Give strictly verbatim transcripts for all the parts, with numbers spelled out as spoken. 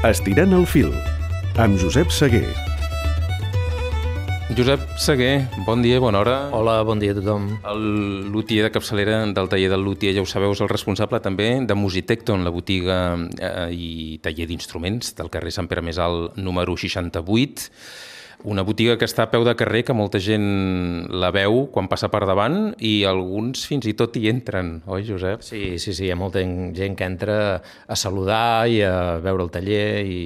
Estirant el fil, amb Josep Seguer. Josep Seguer, bon dia, bona hora. Hola, bon dia a tothom. El lutier de capçalera del taller del lutier, ja ho sabeu, és el responsable també de Musitecton, la botiga eh, i taller d'instruments del carrer Sant Pere Més Alt, número seixanta-vuit. Una botiga que està a peu de carrer, que molta gent la veu quan passa per davant i alguns fins i tot hi entren, oi, Josep? Sí, sí, sí, hi ha molta gent que entra a saludar i a veure el taller i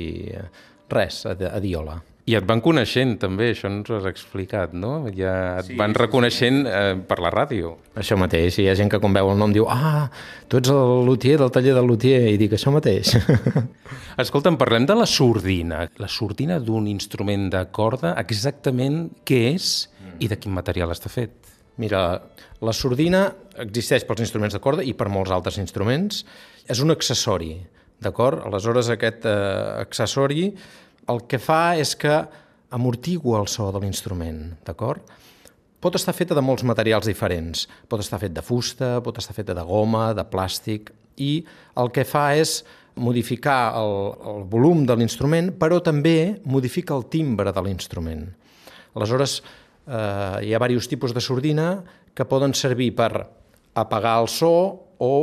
res, a, a dir hola. I et van coneixent també, això ens ho has explicat, no? Ja et Sí, van sí, reconeixent sí. eh, per la ràdio. Això mateix, hi ha gent que quan veu el nom diu ah, tu ets el lutier del taller del lutier, i dic això mateix. Escolta'm, parlem de la sordina. La sordina d'un instrument de corda, exactament què és i de quin material està fet? Mira, la sordina existeix pels instruments de corda i per molts altres instruments. És un accessori, d'acord? Aleshores, aquest eh, accessori el que fa és que amortigua el so de l'instrument, d'acord? Pot estar feta de molts materials diferents. Pot estar fet de fusta, pot estar feta de goma, de plàstic, i el que fa és modificar el, el volum de l'instrument, però també modifica el timbre de l'instrument. Aleshores, eh, hi ha diversos tipus de sordina que poden servir per apagar el so o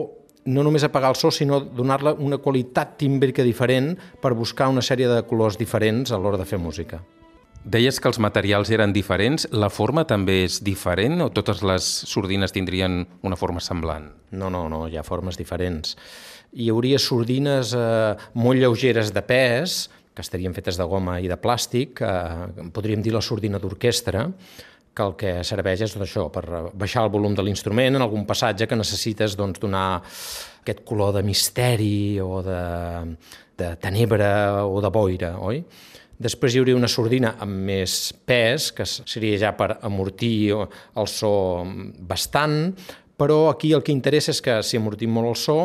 no només apagar el so, sinó donar-li una qualitat tímbrica diferent per buscar una sèrie de colors diferents a l'hora de fer música. Deies que els materials eren diferents, la forma també és diferent o totes les sordines tindrien una forma semblant? No, no, no, hi ha formes diferents. Hi hauria sordines eh, molt lleugeres de pes, que estarien fetes de goma i de plàstic, eh, podríem dir la sordina d'orquestra, que el que serveix és això, per baixar el volum de l'instrument en algun passatge que necessites doncs, donar aquest color de misteri o de, de tenebra o de boira, oi? Després hi hauria una sordina amb més pes, que seria ja per amortir el so bastant, però aquí el que interessa és que si amortim molt el so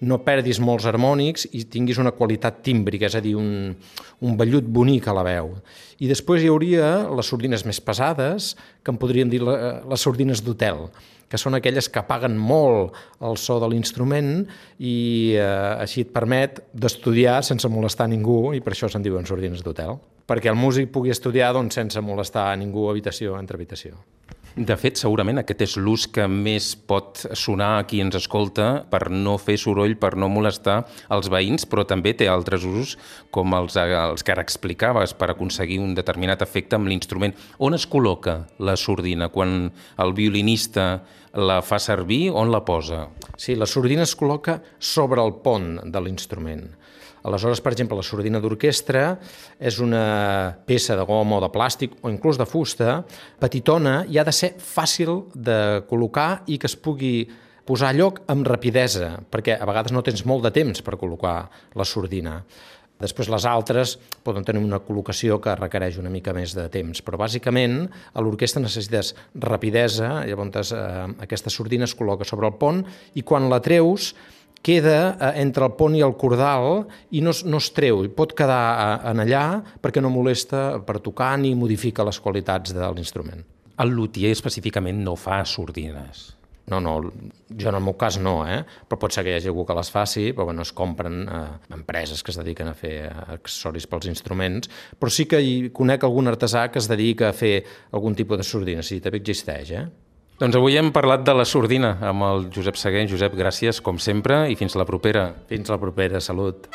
no perdis molts harmònics i tinguis una qualitat tímbrica, és a dir, un, un vellut bonic a la veu. I després hi hauria les sordines més pesades, que en podríem dir les sordines d'hotel, que són aquelles que apaguen molt el so de l'instrument i eh, així et permet d'estudiar sense molestar ningú, i per això se'n diuen sordines d'hotel, perquè el músic pugui estudiar doncs, sense molestar a ningú habitació entre habitació. De fet, segurament aquest és l'ús que més pot sonar a qui ens escolta per no fer soroll, per no molestar els veïns, però també té altres usos com els, els que ara explicaves per aconseguir un determinat efecte amb l'instrument. On es col·loca la sordina? Quan el violinista la fa servir, on la posa? Sí, la sordina es col·loca sobre el pont de l'instrument. Aleshores, per exemple, la sordina d'orquestra és una peça de goma o de plàstic o inclús de fusta, petitona, i ha de ser fàcil de col·locar i que es pugui posar a lloc amb rapidesa, perquè a vegades no tens molt de temps per col·locar la sordina. Després les altres poden tenir una col·locació que requereix una mica més de temps, però bàsicament a l'orquestra necessites rapidesa, llavors eh, aquesta sordina es col·loca sobre el pont i quan la treus queda entre el pont i el cordal i no, no es treu, pot quedar en allà perquè no molesta per tocar ni modifica les qualitats de l'instrument. El lutier específicament no fa sordines. No, no, jo en el meu cas no, eh? Però pot ser que hi hagi algú que les faci, però bueno, es compren eh, empreses que es dediquen a fer accessoris pels instruments, però sí que hi conec algun artesà que es dedica a fer algun tipus de sordina, sí, també existeix, eh? Doncs avui hem parlat de la sordina amb el Josep Seguer. Josep, gràcies, com sempre, i fins la propera. Fins la propera, salut.